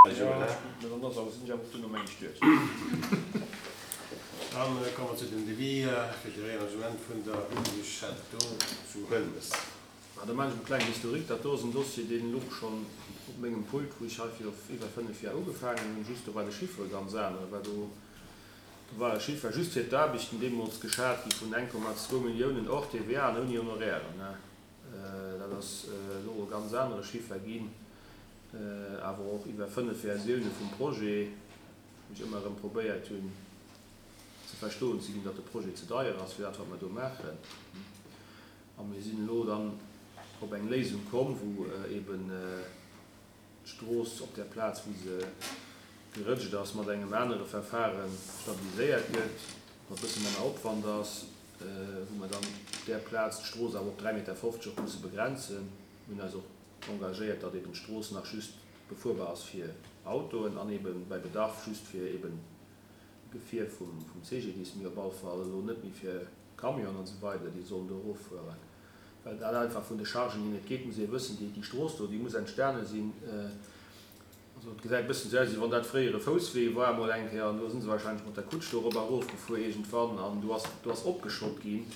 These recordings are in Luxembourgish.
Dann ass awer, sinn ech awer och duerno meng ech duerch. Dann komme mer zu den Devis fir de Réaménagement vun der Rue du Château zu Huelmes. Ma da maachen ech e klengen Historique. Dat do ass en Dossier, deen louch schonn op mengem Pult, wou ech hei viru iwwer 5 Jar ugefaangen hunn. Just do war de Chiffre e ganz anere, well do war e Chiffre just fir d'Aarbechten deemools geschat gi vun 1,2 Milliounen hors TVA an ouni Honorairen. Dat ass elo e ganz anere Chiffer ginn, awer och iwwer 5 Versioune vum Projet, wou ech ëmmer erëm probéiert hunn ze verstoen ze ginn, datt de Projet ze deier ass fir dat wat mer do maachen. A mir sinn elo dann op eng Léisung komm, wou eeben d'Strooss op där Plaz, wou se gerëtscht ass, mat engem anere Verfare stabiliséiert gëtt, wat e bësse manner Opwand ass, wou mer dann op där Plaz d'Strooss awer op 3,50 Meter och musse begrenzen. Mir hunn eis och engagéiert, datt eben d'Strooss nach just befuerbar ass fir Autoen an eben bei Bedarf just fir eben Gefier vum CGDIS, mee op alle Fall elo net méi fir Camionen an esou weider, déi sollen do eroffueren, well dat einfach vun de Chargen hier net geet, muss ee wëssen. Déi Strooss do, déi muss entstane sinn, also et gesäit e bëssen esou aus, wéi wann dat fréier e Fousswee war emol eng Kéier, an elo si se wahrscheinlech mat der Kutsch do erop a erof gefuer iergendwann, an do ass, do ass opgeschott ginn,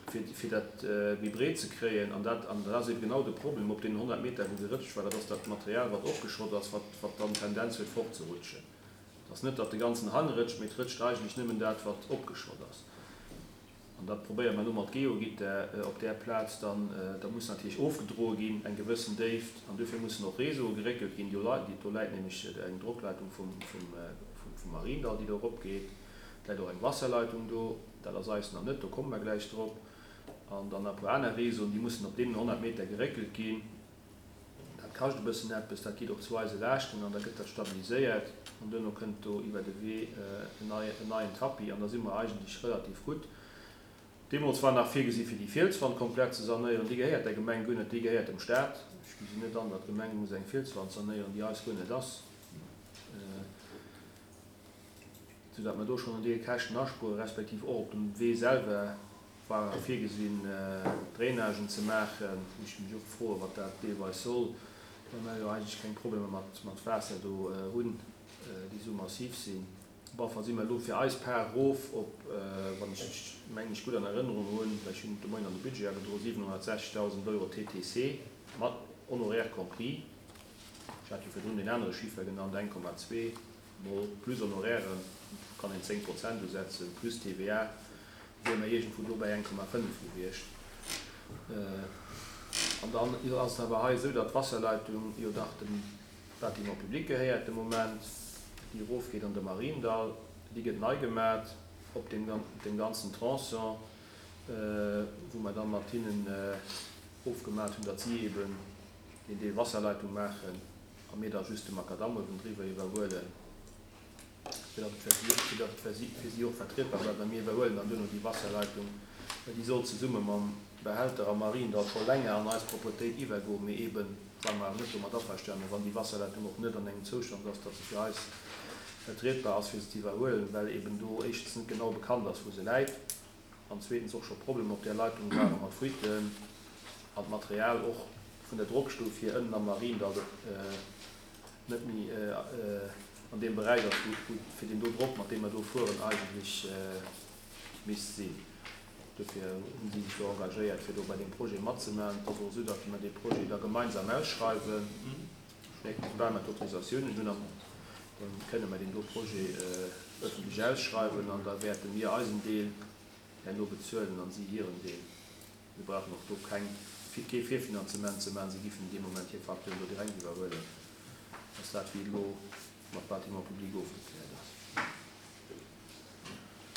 fir, fir dat méi breet ze kréien. An dat, an dat ass eebe genau de Problem op deenen 100 Meter, wou gerëtscht war, dat ass dat Material, wat opgeschott ass, wat, wat dann d'Tendenz huet fortzerutschen. Et ass net, datt de ganzen Hang rëtscht, mee et rëtscht eigentlech nëmmen dat, wat opgeschott ass. An dat probéiere mer elo mat Geogitter op där Plaz dann. Da muss natierlech ofgedroe ginn, eng gewëssen Déift. An duerfir mussen och Réseaue geréckelt ginn. Do läit nämlech eng Drockleitung vum Mariendall, déi do eropgeet. Et läit och eng Wasserleitung do. Dat ass eis nach net, do komme mer gläich drop. An dann nach e puer aner Réseauen, déi mussen op deenen 100 Meter geréckelt ginn. Dat kascht e bëssen eppes, dat geet och zu eise Laaschten an da gëtt dat stabiliséiert an duerno kënnt do iwwer de Wee en neien Tapis an da si mer eigentlech relativ gutt. Deemools war nach virgesi fir déi Fielswand komplett ze sanéieren. Déi gehéiert der Gemeng guer net, déi gehéiert dem Staat. Ech gesinn net an, datt d'Gemeng muss eng Fielswand sanéieren, déi eis guer net ass. Sou datt mer do schonn en Deel Käschten aspueren, respektiv och op dem Wee selwer war virgesinn Drainagen ze maachen, wou ech mech och froen, wat dat deelweis soll, well mer jo eigentlech keng Problemer mat Waasser do hunn, déi esou massiv sinn. Op alle Fall si mer elo fir eis Part erof op, wann ech mech, mengen ech, gutt an Erënnerung hunn, well ech hunn de Moien an de Budget agedroen, 760.000 Euro TTC, mat Honoraires compris. Ech hat jo virdrun deen anere Chiffer genannt, 1,2. Mol plus Honorairen, kann een 10 Prozent usetzen, plus TVA, wiere mer iergendwou do bäi 1,5 gewiescht. An dann ass et awer hei esou, datt d'Wasserleitung jo dach dem Bâtiment public gehéiert de Moment, déi erofgeet an de Mariendall, déi gëtt nei gemat op deem ganzen Tronçon, wou mer da mat hinnen ofgemat hunn, datt si eeben deen Deel Wasserleitung maachen. a mir da just de Makadamm uewendriwwer iwwerhuelen, fir datt et fir si, fir datt et fir si, fir si och vertrietbar bleift, a mir iwwerhuelen dann duerno déi Wasserleitung, well déi soll zesumme mam Behälter am Mariendall scho länger an eis Propretéit iwwergoen, mee eeben ware mer awer net domat averstanen, wann déi Wasserleitung och net an engem Zoustand ass, datt se fir eis vertrietbar ass, fir se ze iwwerhuelen, well eeben do éischtens net genau bekannt ass, wou se läit, an zweetens och scho Problemer op där Leitung ware mat Fuiten an d'Material och vun der Drockstuf hier ënnen am Mariendall net méi an deem Beräich ass, wou fir deen do Drock, mat deem mer do fueren, eigentlech misst sinn. Dofir hu si sech do engagéiert, fir do bei deem Projet matzemaachen. Et ass och esou, datt mer dee Projet da gemeinsam ausschreiwen. Soubal mer d'Autorisatiounen hunn, da kënne mer deen do Projet ëffentlech ausschreiwen an da wäerte mir eisen Deel herno bezuelen an si hiren Deel. Mir brauchen och do keng, kee Virfinanzement ze maachen. Si giffen dee Moment hir Facturen do direkt iwwerhuelen. Ass dat, wéi et elo mat Bâtiments publics ofgekläert ass.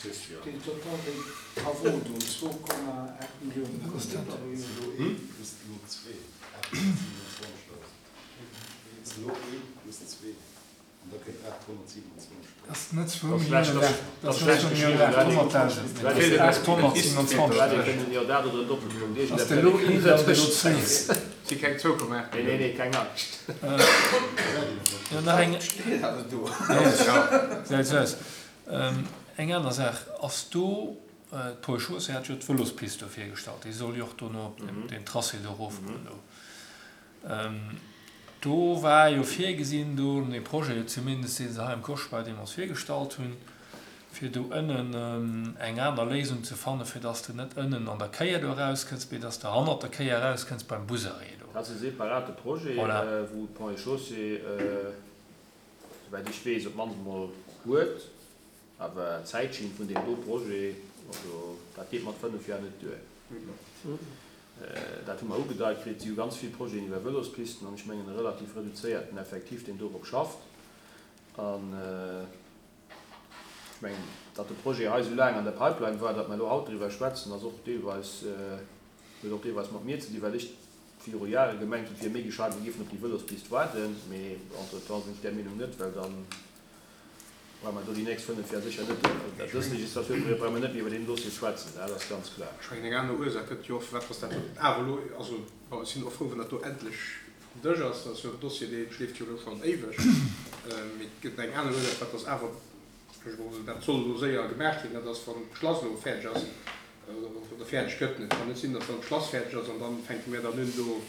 Christian. Den Total des travaux do, 2,8 Milliounen, wat ass dat? Dat ass net zwou Milliounen, dat ass net zwou Milliounen 800.000, mee dat ass 827.000. Ass de elo een oder elo zwee? Si keng 2,8 Milliounen. Jo, nach eng. Gesäit esou aus. Eng aner Saach, ass do, d'Paul Schoos hat jo d'Vëlospist do virgestallt, déi soll jo och dono op deen Tracé do erofgoen do. Do war jo virgesinn, do an deem Projet zumindest, dee se hei am Kospa deemools virgestallt hunn, fir do ënnen eng aner Léisung ze fannen, fir dass de net ënnen an der Kéier do erauskënns, mee dass de hannert der Kéier erauskënns beim Busarrêt do. Dat ass e separate Projet, wou d'Ponts et Chaussées, souwäit ech weess, op d'mannst emol huet. Awer d'Zäitschinn vun deem do Projet, also dat geet mat 5 Joer net duer. Dat hu mer ugedeit kritt. Si hu ganz vill Projeten iwwer Vëlospisten an ech mengen e relativ reduzéierten Effektiv, deen dorop schafft. An ech mengen, datt de Projet hei esou laang an der Pipeline war, datt mer elo haut driwwer schwätzen, ass och deelweis, huet och deelweis mat mir ze dinn, well ech viru Jahre gemengt hunn, et wier méi gescheit, mir géifen op déi Vëlospist waarden. Mee entretemps sinn ech där Meenung net, well dann Brauche mer do déi nächst 5 Jar sécher net, dës Legislaturperiod brauche mer net méi iwwer deen Dossier schwätzen, dat ass ganz kloer. Ech mengen, eng aner Ursaach gëtt jo och, firwat dass dat awer elo, also bon, ech sinn och frou, wann dat do endlech vum Dësch ass, dat ass jo en Dossier, dee schleeft jo elo schonn éiweg, mee et gëtt eng aner Ursaach, firwat dass awer, also dat soll elo séier gemaach ginn, dat ass, wann d'Schlass elo fäerdeg ass oder fäerdeg gëtt. Et kann net sinn, dass dann d'Schlass fäerdeg ass an da fänke mir dann un, do op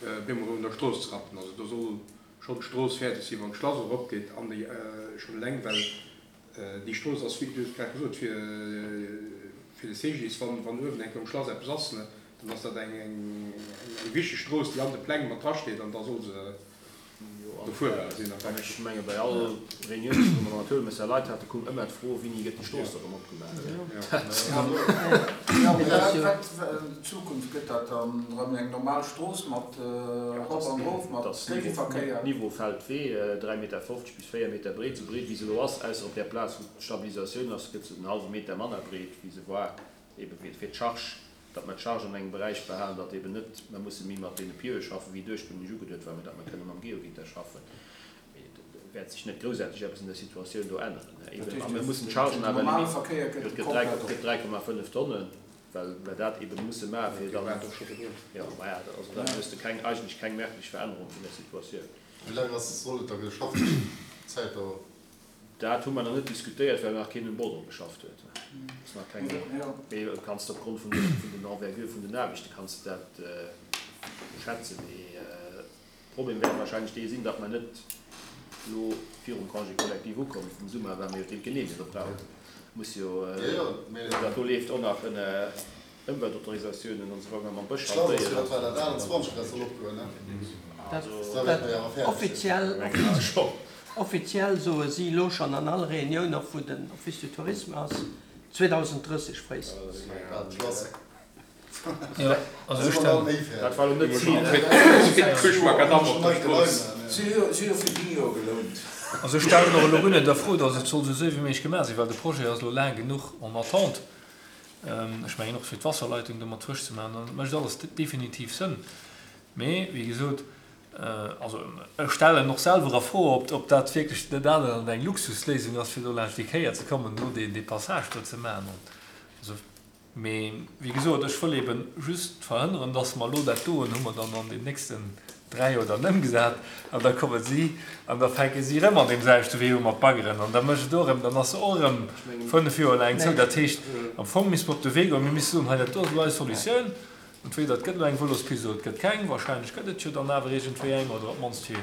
eemol erëm un der Strooss ze rappen. Also do soll schonn d'Strooss fäerdeg sinn, wann d'Schlass eropgeet an déi schonn eleng, well déi Strooss ass, wéi du hues grad gesot, fir fir de CGDIS, wann wann uewen eng Kéier um Schlass eppes ass, ne, dann ass dat eng eng eng wichteg Strooss, déi an de Pläng mat drasteet an da soll se befuerbar sinn. An ech menge bei all Reunioun, wou mer mat Huelmësser Leit haten, koum ëmmer d'Fro, Wéini gëtt déi Strooss da rëm opgemaach? Jo, mee wat an Zukunft gëtt dat dann erëm eng normal Strooss mat erop an erof, mat Géigeverkéier? Niveau Feldwee, 3,50 Meter bis 4 Meter breet, esou breet wéi se elo ass, ausser op där Plaz wou d'Stabilisatioun ass, gëtt se en hallwe Meter manner breet wéi se war, ebe fir d'Charge, datt mer d'Charge an engem Beräich behalen, datt eben net mer musse méi mat deene Pieue schaffen, wéi et ursprünglech ugeduet war, mä datt mer kënne mam Geogitter schaffen. Mee et wäert sech net groussaarteg eppes un der Situatioun do änneren. Eben, a mir mussen d'Chargen awer limitieren. Et gëtt 3,5 Tonnen, well mer dat eben musse maachen, fir dann. Jo, maja, also dann hues de keng, eigentlech keng merklech Verännerung vun der Situatioun. Wéi laang ass, soll et da geschafft ginn? Zäitdauer? Dat hu mer nach net diskutéiert, well nach keen um Bordereau geschafft huet. Ass nach keng, mee du kanns opgrond vun den Envergure vun den Aarbechte kanns de dat schätzen. Mee de Problem wäert wahrscheinlech dee sinn, datt mer net elo virum Congé collectif ukommen vum Summer, well mer jo d'Genehmegung brauchen. Muss jo, dat do leeft och nach ënner Ëmweltautorisatiounen an esou weider mam Bësch hantéieren. Offiziell soe si elo schonn an all Reunioun, och wou den Office du Tourisme ass, 2030 fréistens. Dat war elo net d'Zil. Also ech stellen och elo guer net a Fro, datt et soll esou séier wéi méiglech gemaach sinn, well de Projet ass elo laang genuch en attente. Ech mengen och fir d'Wasserleitung do mat frësch ze maachen, dat mécht alles definitiv Sënn. Mee wéi gesot, also ech stellen och selwer a Fro, ob dat wierklech net aner eng Luxusléisung ass, fir do laanscht déi Kéier ze kommen, do dee Passage do ze maachen. Also Mee wéi gesot, ech wëll eebe just verhënneren, dass mer elo dat doen, hu mer dann an den nächsten 3 Joer dann ëmgesat an da komme si an da fänke si erëm an deem selwechte Wee u mat baggeren an da mécht et och erëm, dann ass se och erëm 5 Joer laang zou. Dat heescht, am Fong misste mer op de Wee goen, mir misste soen, hei dat do ass elo eis Solutioun, entweder et gëtt elo eng Vëlospist oder et gëtt keng, wahrscheinlech gëtt et jo dann awer iergendwéi eng oder op d'mannst fir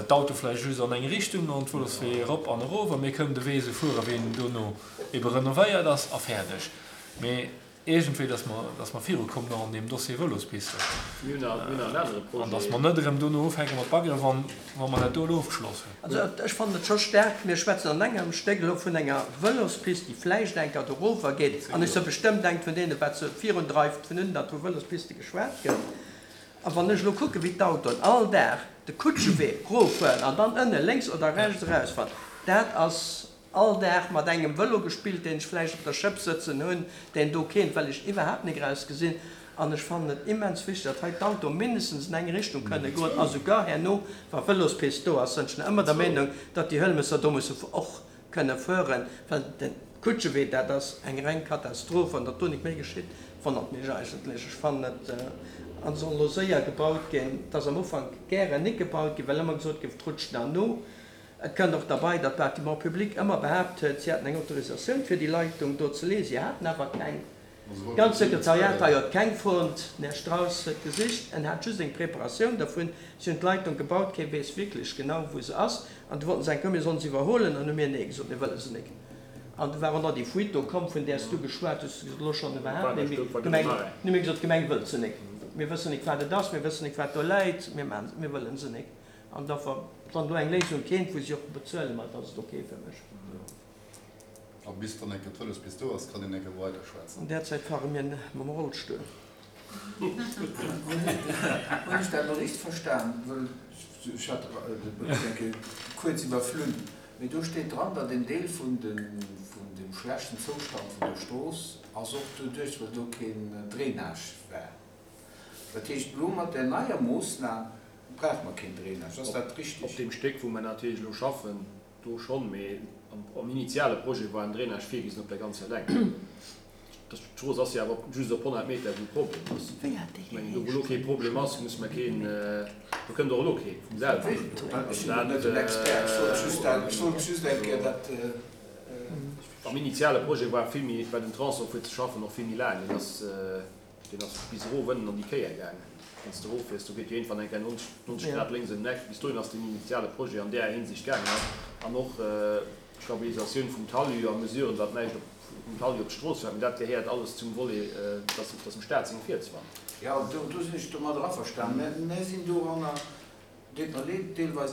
d'Auto vläicht just an eng Richtung an d'Vëloswee erop an erof a mir kënnen de Wee esou fuere wéi en dono ebe renovéiert ass a fäerdeg. Mee iergendwéi, dass mer, dass mer virukommen och an deem Dossier Vëlospisten. An dass mer net erëm dono ufänke mat baggeren, wann, wa mer dat do elo ofgeschloss hunn. Also ech fannen et scho staark, mir schwätzen an engem Stéck elo vun enger Vëlospist, déi vläicht eng Kéier dorower geet, an ech sou bestëmmt eng vun deenen, wat se virundreift, vun un, datt vu Vëlospiste geschwat gëtt. A wann ech elo kucken, wéi d'Autoen all Dag de Kutschewee roffueren an dann ënne lénks oder rechts erausfahren, dat ass All Dag mat engem Vëlo gespillt, deen ech vläicht op der Schëpp sëtzen hunn, deen do keent, well ech iwwerhaapt nik eraus gesinn. An ech fannen et immens wichteg, datt hei d'Autoe mindestens an eng Richtung kënne goen a sougar herno, wa Vëlospist do ass, sënn ech nach ëmmer der Meenung, datt déi Hëlmesser do musse och kënne fueren, well de Kutschewee, dat ass eng reng Katastroph. An datt do nik méi geschitt, wonnert mech eigentlech. Ech fannen et, an soll elo séier gebaut ginn. Et ass am Ufank gären nik gebaut ginn, well ëmmer gesot gouf, et rutscht nach no. Et kënnt och derbei, datt Bâtiments publics ëmmer behaapt huet, si hätten eng Autorisatioun fir déi Leitung do ze leeën. Si haten awer keng. D'ganz Sekretariat hei huet keng fonnt. Den Här Strauss huet gesicht, en hat just eng Preparatioun dervun. Si hunn d'Leitung gebaut, kee weess wierklech genau, wou se ass. An du wollten se eng kommen, mir sollen se iwwerhuelen, an hu mir nee gesot, mir wëlle se nik. An du war och nach déi Fuite do komm, vun där s du geschwat hues, du gesot, elo schonn iwwerhaapt net méi. D'Gemeng, hu mir gesot, d'Gemeng wëllt se nik. Mir wëssen nik, wat et ass, mir wëssen nik, wat do läit, mir maachen, mir wëllen se nik. An da, wann do eng Léisung kéint, wou si och bezuelen, ma da ass et ok fir mech. A bis dann eng Kéier d'Vëlospist do ass, kann een eng Kéier weider schwätzen. An där Zäit fare mir mam Rollstull. Hunn ech dat elo richteg verstan? Wëll ech hat de Bericht eng Kéier kuerz iwwerflunn, mee do steet dran, datt en Deel vun dem schlechten Zoustand vun der Strooss ass och doduerch, well do keen Drainage war. Dat heescht, elo mat där neier Moossnam brauche mer keen Drainage. Ass dat richteg? Op deem Stéck, wou mer natierlech elo schaffen, Do schonn, mee am initiale Projet war en Drainage virgesinn op der ganzer Längt. D'Strooss ass jo awer just op 100 Meter, wou Problem ass. Ech mengen, do wou elo kee Problem ass, muss mer keen, do kënnt och elo kee vum selwen. Ech sinn do net den Expert, ech wollt just eng Kéier dat. Am initiale Projet war vill méi, war den Tronçon fir ze schaffen och vill méi laang. Deen ass. Deen ass bis erof ënnen an déi Kéier gaangen. Wann s de eroffiers, do geet jo iergendwann eng Kéier 90 Grad lénks ëm den Eck. Bis dohin ass deen initiale Projet an där Hinsicht gaangen. An och d'Stabilisatioun vum Talus a Mesuren, datt näischt vum Talus op d'Strooss fält. Mee dat gehéiert alles zum Volet, dass dass dem Staat seng Fielswand. Jo, do sinn ech domadder averstanen. Mä mir sinn doranner, deet mer leed, deelweis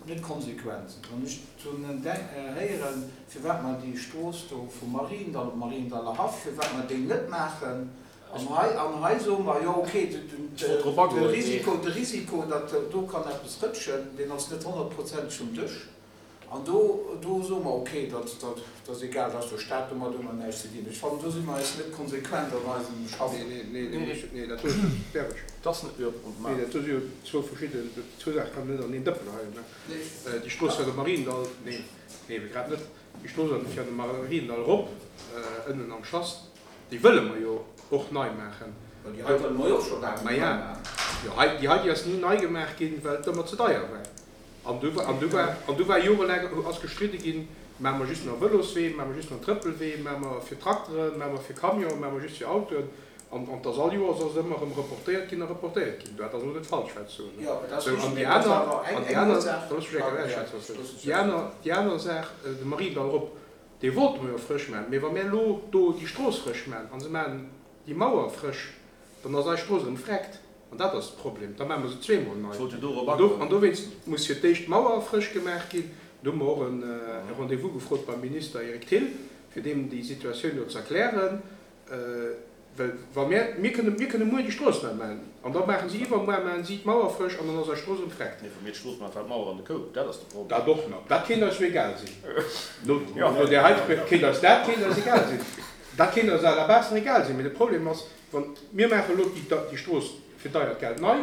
net konsequent. Wann ech dovun héieren, firwat mer déi Strooss do vum Mariendall op Mariendaller Haff, firwat mer déi net maachen, an hei, an hei soe mer, jo okay, de Risiko, de Risiko, datt do kann eppes rëtschen, deen ass net honnertprozenteg um Dësch. An do, do soe mer, okay, dat, dat ass egal, dat ass der Stad, domat hu mer näischt ze dinn. Ech fannen, do si mer eis net konsequent an eisem Schaffen. Nee, nee, nee, nee, nee, dat do ass net sperreg. Dat ass net, jo, Nee, dat do si jo zwou verschidden, zwou Saache kann een net an een Dëppen heien, ne? Déi Strooss fir de Mariendall, nee, nee, ebe grad net. Déi Strooss an fir an de Mariendall erop, ënnen am Schass, déi wëlle mer jo och nei maachen. Ma déi hei wëlle mer jo och scho laang nei maachen. Jo, hei, déi hei, déi ass ni nei gemaach ginn, well et ëmmer ze deier war. An du an du war an du war jorelaang ass gestridde ginn, maache mer just nach Vëloswee, maache mer just nach Trëppelwee, maache mer fir Trakteren, maache mer fir Camionen, maache mer just fir Autoen. An an 't ass all Joers ass et ëmmer erëm reportéiert ginn a reportéiert ginn. Dat ass elo net falsch, wat ech soen. Jo, et ass Sou, an richteg, déi mee et ass aner awer eng an déi eng aner, Ursaach. da looss mech eng Kéier Ja, ausschwätzen, looss mech déi aner déi aner Saach, de Mariendall erop, dee wollte mer jo frësch maachen. Mee wa mir elo do déi Strooss frësch maachen a se maachen déi Mauer frësch, dann ass eis Strooss erëm vreckt. An dat ass de Problem. Da maache mer se zweemol nei. An dowéinst muss fir d'éischt d'Mauer frësch gemaach ginn. Do hu mer och e Rendez-vous gefrot beim Minister Eric Thill, fir deem déi Situatioun do ze erklären. Well wa mir, mir kënne, mir kënne muer déi Strooss nei maachen an da maache si iwwermuer maache si d'Mauer frësch an dann ass eis Strooss erëm vreckt. Nee, wa mir d'Strooss maachen, fält d'Mauer an de Koup. Dat ass de Problem. Dat och nach. Dat kéint eis jo egal sinn. No där heiter kéint eis dat kéint eis egal sinn. Dat kéint eis à la base nach egal sinn. Mee de Problem ass, Wann, mir maachen elo déi Strooss fir deiert Geld nei,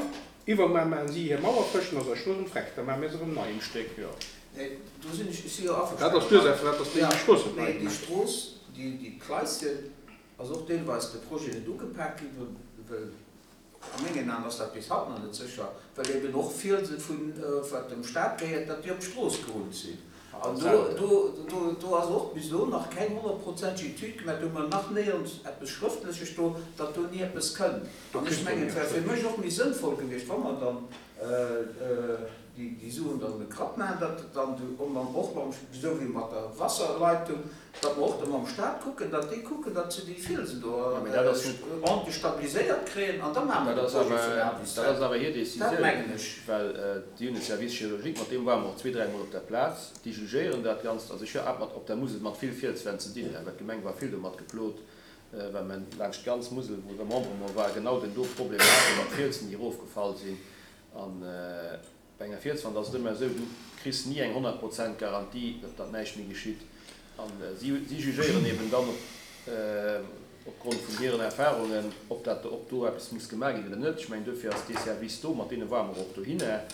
iwwermuer maachen si hir Mauer frësch, dann ass eis Strooss erëm vreckt, da maache mir se erëm nei. Um Stéck, jo. Nee, do sinn ech, ech si jo averstanen. Dat ass d'Ursaach, firwat dass déi Strooss net nei gemaach ginn. Déi Strooss, déi Kleischen, ass och deelweis de Projet net ugepak ginn, well A mengen Aen ass dat bis haut nach net sécher, well eben och Fielse vun, wat dem Staat gehéiert, datt déi op d'Strooss gerullt sinn. An do, do, do ass och bis elo nach keng honnertprozenteg Etüd gemaach, do hu mer nach néierens eppes Schrëftleches do, datt do ni eppes kënnt. An ech mengen, et wär fir mech och méi sënnvoll gewiescht, wa mer dann déi Suen dann e Krapp maachen, datt dann och mam, esou wéi mat der Wasserleitung, datt mer och da mam Staat kucken, datt déi kucken, datt se déi Fielsen do ordentlech stabiliséiert kréien an da maache mer de Projet vun A bis Z. Dat ass awer hir Dat Décisioun, mengen ech. well déi hunn e Service géologique, mat deem ware mer och zwee, dräimol op der Plaz, déi jugéieren dat Ganzt. Also ech hat mat op der Musel mat vill Fielswänn ze dinn, well d'Gemeng war vill domat geplot, well mer laanscht d'ganz Musel, wou Remembrement war, genau den do Problem hate mat Fielsen, déi erofgefall sinn. An bei enger Fielswand ass et ëmmer esou, du kriss ni eng 100 Prozent Garantie, datt datt näischt méi geschitt. An si si jugéieren eben dann op opgrond vun hiren Erfahrungen, ob dat ob do eppes muss gemaach ginn oder net. Ech mengen, duerfir ass dee Service do, mat deene ware mer och dohinner.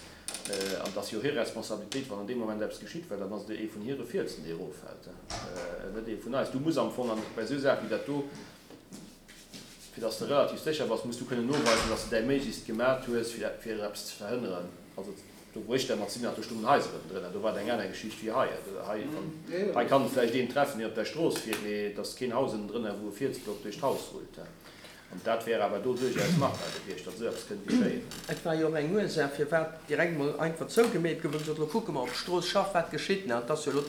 An et ass jo hir Responsabilitéit, wann an deem Moment eppes geschitt, well dann ass et ee vun hire Fielsen, dee eroffält, net ee vun eis. Du muss am Fong an bei esou Saache wéi dat do, Fir dass de relativ sécher bass, muss du kënnen noweisen, dass de däi Méiglechst gemat hues, fir eppes ze verhënneren. Also. Do wou ech dermat sinn, do stungen Haiser ënnendrënner. Do war et eng aner Geschicht wéi hei. Hei, hei kann et vläicht een treffen, deen op der Strooss fiert, mee et ass keen Haus ënnendrënner, wou e Fielsblock duerch d'Haus rullt. An dat wär awer do duerchaus machbar gewiescht, datt esou eppes kënnt geschéien. Et war jo och eng Ursaach, firwat direkt mol einfach zougemeet gouf. Hu gesot, elo kucke mer op d'Strooss schaff, wat geschitt nach. Et ass jo elo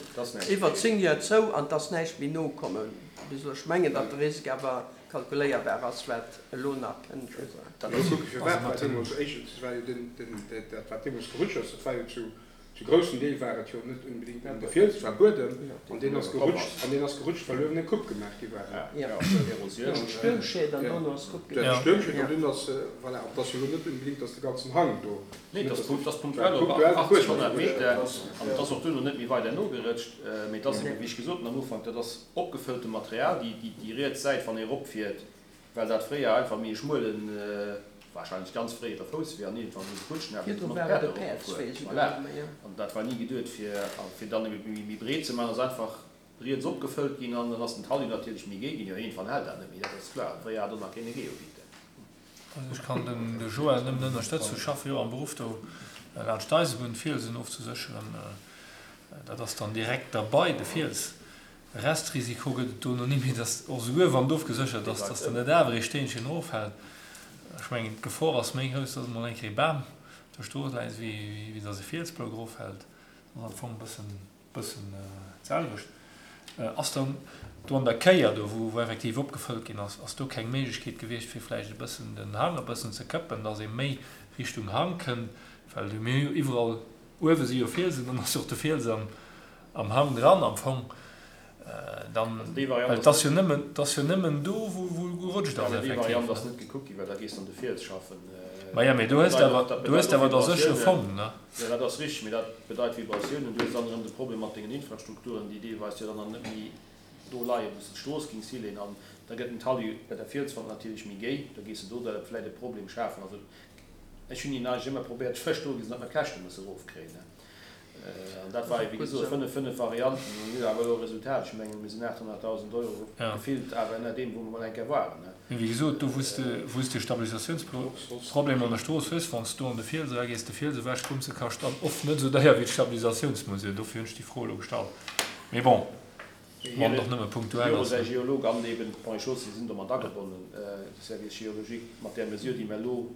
iwwer 10 Joer zou an et ass näischt méi nokommen bis elo. Ech mengen, datt de Risk awer kalkuléierbar ass, wat elo nach kënnt. Dat ass jo firwat war deemools éischtens, war jo den, den, dat wat deemools gerutscht ass, dat war jo zu, zu groussem Deel war et jo net unbedingt nëmmen de Fiels, et war Buedem an deen ass gerutscht, an deen ass gerutscht, well uewen eng Coupe gemaach gi war. Erosioun. Stuermschied an dono ass d'Coupe gemaach. Stuermschied an dunn ass, voilà, an et ass jo elo net unbedingt, datt de ganzen Hang do. Nee, et ass punktuell op 80, 100 Meter an et ass och duerno net méi weider nogerëtscht, mee et ass eben, wéi ech gesot hunn am Ufank, dat ass Opgefëllte Material, déi riets Säit, wann ee ropfiert, well dat fréier einfach méi e schmuelen, wahrscheinlech ganz fréiere Fousswee an iergendwann hu se Kutschen awer Virdru war et e Päerdswee souguer nach méi, jo. An dat war ni geduet fir, fir dann ebe méi breet ze maachen, ass einfach riets opgefëllt ginn an dann ass den Talus natierlech méi géi ginn. Jo, iergendwann hält dat net méi, dat ass kloer. Fréier hat och nach keen e Geovite. Also ech kann den de Joël nëmmen ënnerstëtzen. Ech schaffe jo am Beruff do laanscht d'Eisebunn d'Fielsen ofzesécheren. Dat ass dann direkt derbei, de Fiels. Restrisiko gëtt et dono ni méi, dass och souguer wann et ofgeséchert ass, dass dann net awer ee Steenchen eroffält. Ech mengen d'Gefor ass méi grouss, dass emol eng Kéier e Bam op der Strooss läit, wéi dass e Fielsblock eroffält. Dat ass am Fong e bëssen. Bëssen d'selwecht. Ass dann do an der Kéier do, wou effektiv opgefëllt ginn ass, ass do keng Méiglechkeet gewiescht, fir vläicht e bëssen den Hang e bëssen ze këppen, dass ee méi Richtung Hang kënnt? Well mir hu jo iwwerall, uewe si jo Fielsen, dann ass jo och de Fiels am Hang dran am Fong. Dann, well et ass jo nëmmen, et ass jo nëmmen do, wou gerutscht ass effektiv. Déi Variant ass net gekuckt ginn, well da gees de an de Fiels schaffen. Maja, mee do hues de awer, do hues de awer da sécher fonnt, ne? Jo, dat ass richteg, mee dat bedeit Vibratiounen. Du hues dann erëm de Problem mat dengen Infrastrukturen, déi deelweis jo dann nach net méi do leien, wou s de d'Strooss gings hileeën. An da gëtt den Talus bei der Fielswand natierlech méi géi, da gees de do der vläicht e Problem schafen. Also ech hunn hinnen eigentlech ëmmer probéiert ze verstoe ginn, datt mer d'Käschte musse erofkréien, ne? An dat war, wéi gesot, 5, 5 Varianten. Mir hunn awer elo e Resultat, ech mengen, mir sinn 800.000 Euro gefillt awer ënner deem, wou mer mol eng Kéier waren. Mee wéi gesot, do wou s de, wou s de Stabilisatiounsproblem an der Strooss hues, wann s do an de Fiels eragees, de Fiels ewech kommt, se kascht dann oft net esou deier wéi d'Stabilisatiounsmesure. Dofir hunn ech déi Fro elo gestallt. Mee bon, wann et och nëmme punktuell ass. Säi Geolog an eben d'Ponts et Chaussées sinn do mat agebonnen, de Service géologique, mat där Mesure, déi mer elo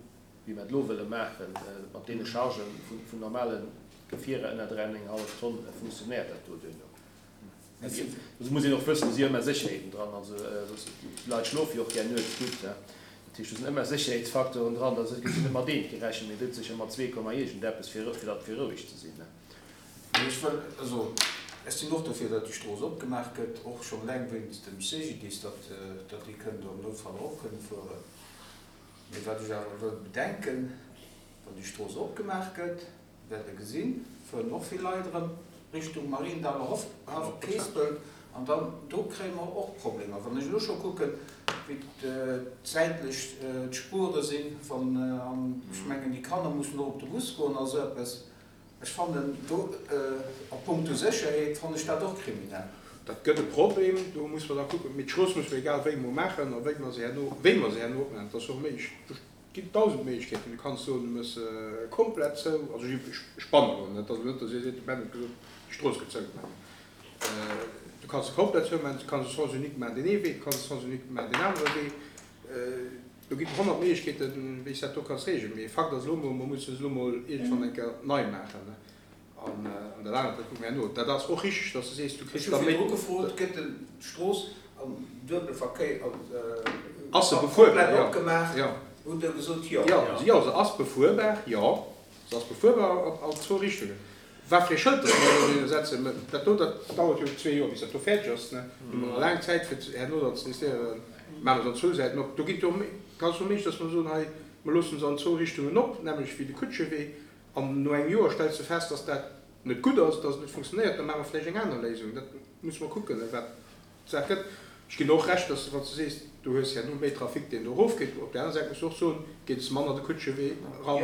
wéi mer et elo wëlle maachen, mat deene Chargen vun normale Gefierer ënner 3,5 Tonn, funktionéiert dat do duerno. Do muss een och wëssen, do si ëmmer Sécherheeten dran. Also d'Leit schlofe jo och gär nuets gutt. Dat heescht, do sinn ëmmer Sécherheetsfacteuren dran. Da gëtt jo net mat eent gerechent, mee dout sécher mat zwee Komma iergendeppes, fir fir fir roueg ze sinn. Ech wëll, also ech sinn och dofir, datt déi Strooss opgemaach gëtt, och schonn eleng wéinst dem CGDIS, datt déi kënnen do am Noutfall erop kënne fueren. Mee wat ech awer wëll bedenken, Wann déi Strooss opgemaach gëtt, wäert Der gesinn, fueren och vill Leit erëm Richtung Mariendaller Haff, Keespelt, an dann do kréie mer och Problemer. Wann ech elo scho kucken, wéi d'säitlech d'Spuere sinn, wann, an ech mengen, déi Kanner mussen och op de Bus goen a sou eppes, Ech fannen do, a punkto Sécherheet, fannen ech dat och kriminell. Dat gëtt e Problem, do musse mer da kucken. Mee d'Strooss musse mer egal wéi emol maachen a wéi mer se herno, wéi mer se herno opmaachen, dat ass och méiglech. Do ginn dausend Méiglechkeeten. Du kanns soen, du méchs se komplett zou. Also ech spannen elo net, also net, datt Dir seet, de Ben huet gesot, déi Strooss gëtt zougemaach. Du kanns se komplett zoumaachen, du kanns e Sens unique maachen deen ee Wee, du kanns e Sens unique maachen deen anere Wee. Do ginn et 100 Méiglechkeeten, wéi s dat do kanns reegelen. Mee Fakt ass elo emol, mer mussen se elo emol iergendwann eng Kéier nei maachen. An dat anert, dat kucke mer herno. Dat ass och richteg, datt s de sees, du kriss da méi. Ech hu virdru gefrot, Gëtt den d'Strooss am duebele Verkéier Ass se befuerbar? komplett opgemaach? Hutt Der gesot, jo. Jo, se ass befuerbar, jo. Se ass befuerbar an zwou Richtungen. Wat fir ee Schëld dass mer do dohinner setzen, mä dat do, dat dauert jo zwee Joer, bis dat do fäerdeg ass, ne? Do hu mer nach laang Zäit, fir herno dann ze decidéieren, maache mer se an zwou Säiten op. Do ginn et jo ganz vill Méiglechkeeten, dass mer soen, hei, mer loosse se an zwou Richtungen op, nämlech wéi de Kutschewee, an no engem Joer stells de fest, dass dat net gutt ass, dass et net funktionéiert, da maache mer vläicht eng aner Léisung. Dat musse mer kucken, wat. D'Saach gëtt. Ech ginn och Recht, dass, wann s de sees, du hues herno méi Trafic, deen do erofgeet. Op där aner Säit muss de och soen, geet es manner de Kutschewee eran,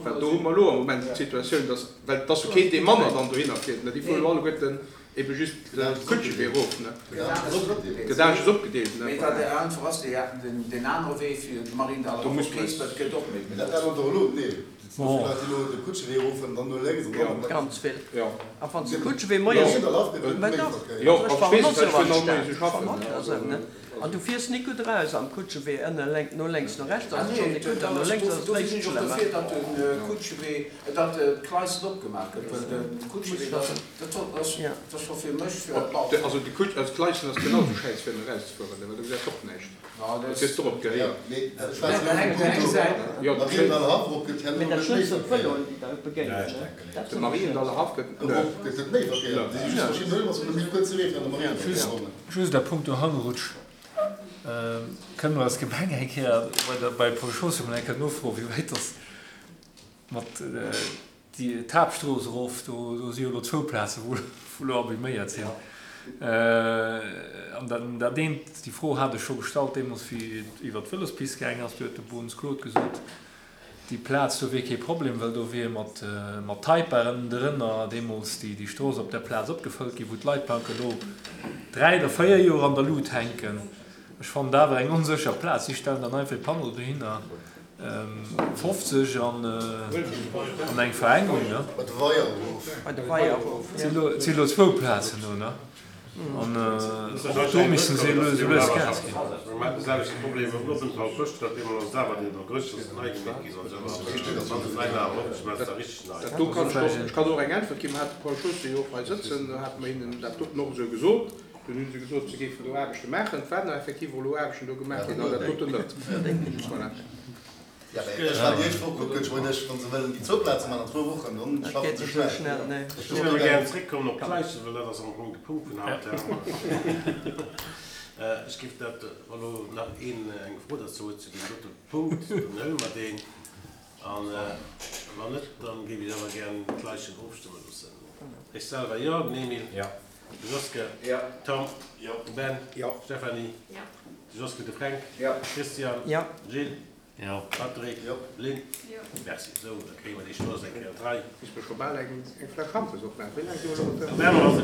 well do hu mer elo am Moment d'Situatioun, dass, well et ass jo keen, dee manner dann dohinner fiert, ne, déi fueren elo alleguerten ebe just de Kutschewee erof, ne. Gëtt aneschters opgedeelt, ne. Mee wat einfach ass, deen anere Wee fir de Mariendaller op Keespelt gëtt och méi benotzt. Dat ännert och elo, nee. Bon. Leit, déi elo de Kutschewee eroffueren, dann no lénks an dann op. Ganz vill. A wann s de Kutschewee moies. Mä dach, also ech fahren och esou an d'Stad. Ech fahren och esou, ne? An du fiers nik gutt eraus am Kutschewee, ënne lénk, no lénks, no rechts ass et schonn nik gutt, an no lénks ass et Dofir méi sinn ech och schlëmm. dofir, datt de Kutschewee, datt d'Kleisten opgemaach gëtt, well de Kutschewee, dat, dat ass, dat ass scho fir mech, bon. Also de Kutsch, also d'Kleisten ass genau esou schäiss fir erauszefueren, well do gesäis de och näischt. Dat hues de och opgehéiert. Mee dat schlëmmst sinn d'Vëloen, déi der begéinen, ne? Dat De Mariendaller Haff gëtt Just a puncto Hangrutsch, Kënne mer als Gemeng eng Kéier bei Paul Schoos emol eng Kéier nofroen, wéi wäit dass mat Déi d'Haaptstrooss erof, do do si jo elo zwou Plaze wou wou elo abiméiert sinn. An dat dat eent, déi Fro hat ech scho gestallt deemools wéi et iwwert d'Vëlospist gaangen ass, do huet de Bones Claude gesot, déi Plaz do wier kee Problem, well do wier mat mat Taiparen drënner deemools déi déi Strooss op där Plaz opgefëllt ginn, wou d'Leitplanke elo 3 oder 4 Joer an der Lut hänken. Ech fannen dat awer eng onsécher Plaz. Si stellen dann einfach e Panneau dohinner. 50 an eng Verengung, ne? Bei de Weier erof. Bei de Weier erof, jo. Et si elo zwou Plazen do, ne? An och do missten se elo esou lues Gas ginn. Dat do kann ech och, ech kann och eng Äntwert ginn. Mer hate Paul Chaussé jo och hei sëtzen, do hate mer hinnen dat doten och esou gesot. Dunn hu se gesot, se géifen do Aarbechte maachen. Et waren effektiv och elo Aarbechten do gemaach ginn, an dat doten net. Voilà. Ja, mä ech war déi éischt Woch kucken, ech wollt iech, wa se wëllen déi zwou Plaze maachen an zwou Wochen, dann schaffen se schnell. Ech géif awer gären zréckkommen op d'Gleichen, well dat ass am Fong de Punkt vun haut. Ech géif dat, wa lo nach een eng Fro derzou huet zu deem dote Punkt, dann huele mer deen. An wann net, dann géif ech awer gären d'Gleichen ofstëmme loossen. Ech selwer jo, den Emile. Jo. De Joske. Jo. Tom. Jo. De Ben. Jo. Stéphanie. Jo. De Joske, de Fränk. Jo. Christian. Jo. Gilles. Jo. Patrick. Jo. Lynn. Jo. Merci. Esou, da kréie mer déi Strooss eng Kéier an d'Rei. Misst mer scho bal eng Fläsch Schampes opmaachen. Wéi laang si mer elo op der? Mä mer.